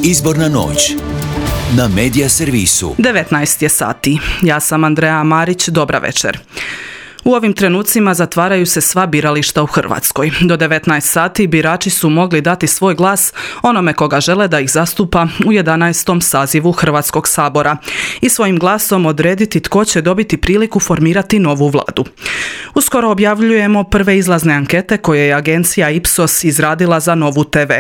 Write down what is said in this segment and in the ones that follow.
Izborna noć na Medija servisu. 19 je sati. Ja sam Andreja Marić, dobra večer. U ovim trenucima zatvaraju se sva birališta u Hrvatskoj. Do 19 sati birači su mogli dati svoj glas onome koga žele da ih zastupa u 11. sazivu Hrvatskog sabora i svojim glasom odrediti tko će dobiti priliku formirati novu vladu. Uskoro objavljujemo prve izlazne ankete koje je agencija Ipsos izradila za Novu TV.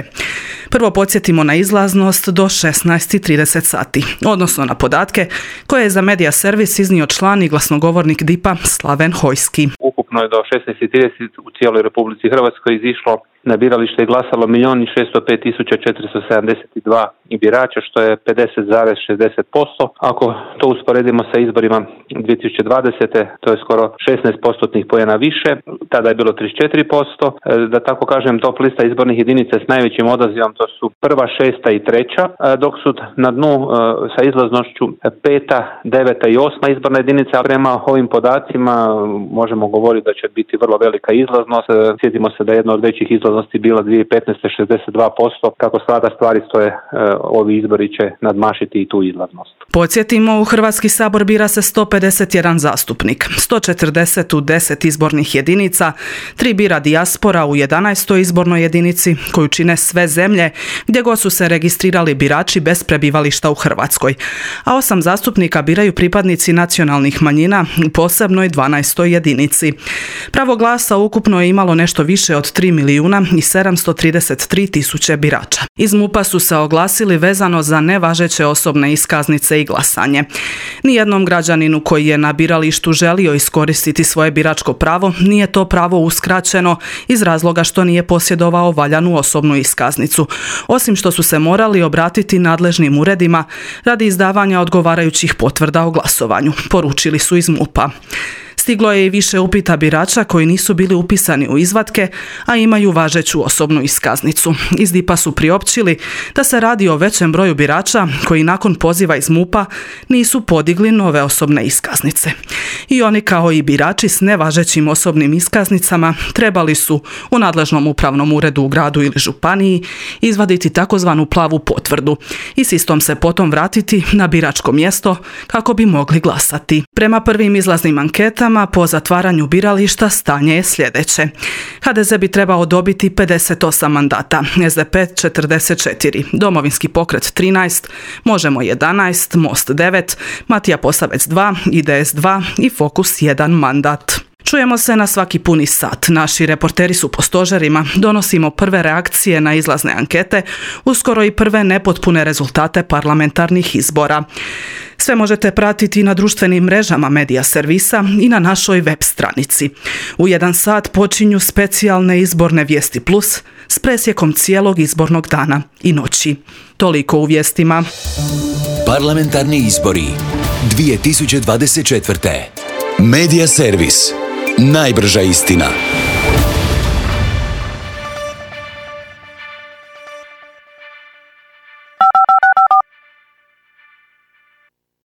Prvo podsjetimo na izlaznost do 16:30 sati, odnosno na podatke koje je za Medija servis iznio član i glasnogovornik DIP-a Slaven Hojski. Ukupno je do 16:30 u cijeloj Republici Hrvatskoj izišlo na biralište i glasalo 1.605.472 birača, što je 50,60%. Ako to usporedimo sa izborima 2020. to je skoro 16% poena više, tada je bilo 34%. Da tako kažem, top lista izbornih jedinica s najvećim odazivom to su 1., 6. i 3., dok su na dnu sa izlaznošću 5., 9. i 8. izborna jedinica. Prema ovim podacima možemo govoriti da će biti vrlo velika izlaznost. Sjetimo se da je jedna od većih izlaznosti bila 2015. 62%. Kako sada stvari stoje, ovi izbori će nadmašiti i tu izlaznost. Podsjetimo, u Hrvatski sabor bira se 151 zastupnik, 140 u 10 izbornih jedinica, 3 bira dijaspora u 11. izbornoj jedinici, koju čine sve zemlje gdje god su se registrirali birači bez prebivališta u Hrvatskoj, a 8 zastupnika biraju pripadnici nacionalnih manjina u posebnoj 12. jedinici. Pravo glasa ukupno je imalo nešto više od 3.733.000 birača. Iz MUP-a su se oglasili vezano za nevažeće osobne iskaznice i glasanje. Nijednom građaninu koji je na biralištu želio iskoristiti svoje biračko pravo nije to pravo uskraćeno iz razloga što nije posjedovao valjanu osobnu iskaznicu, osim što su se morali obratiti nadležnim uredima radi izdavanja odgovarajućih potvrda o glasovanju, poručili su iz MUP-a. Stiglo je i više upita birača koji nisu bili upisani u izvatke, a imaju važeću osobnu iskaznicu. Iz DIP-a su priopćili da se radi o većem broju birača koji nakon poziva iz MUP-a nisu podigli nove osobne iskaznice. I oni, kao i birači s nevažećim osobnim iskaznicama, trebali su u nadležnom upravnom uredu u gradu ili županiji izvaditi takozvanu plavu potvrdu i s istom se potom vratiti na biračko mjesto kako bi mogli glasati. Prema prvim izlaznim anketama po zatvaranju birališta stanje je sljedeće. HDZ bi trebao dobiti 58 mandata, SDP 44, Domovinski pokret 13, Možemo 11, Most 9, Matija Posavec 2, IDS 2 i Fokus 1 mandat. Čujemo se na svaki puni sat. Naši reporteri su po stožerima, donosimo prve reakcije na izlazne ankete, uskoro i prve nepotpune rezultate parlamentarnih izbora. Sve možete pratiti na društvenim mrežama Medija servisa i na našoj web stranici. U 1 sat počinju specijalne izborne vijesti plus s presjekom cijelog izbornog dana i noći. Toliko u vijestima. Parlamentarni izbori 2024. Medija servis. Najbrža istina.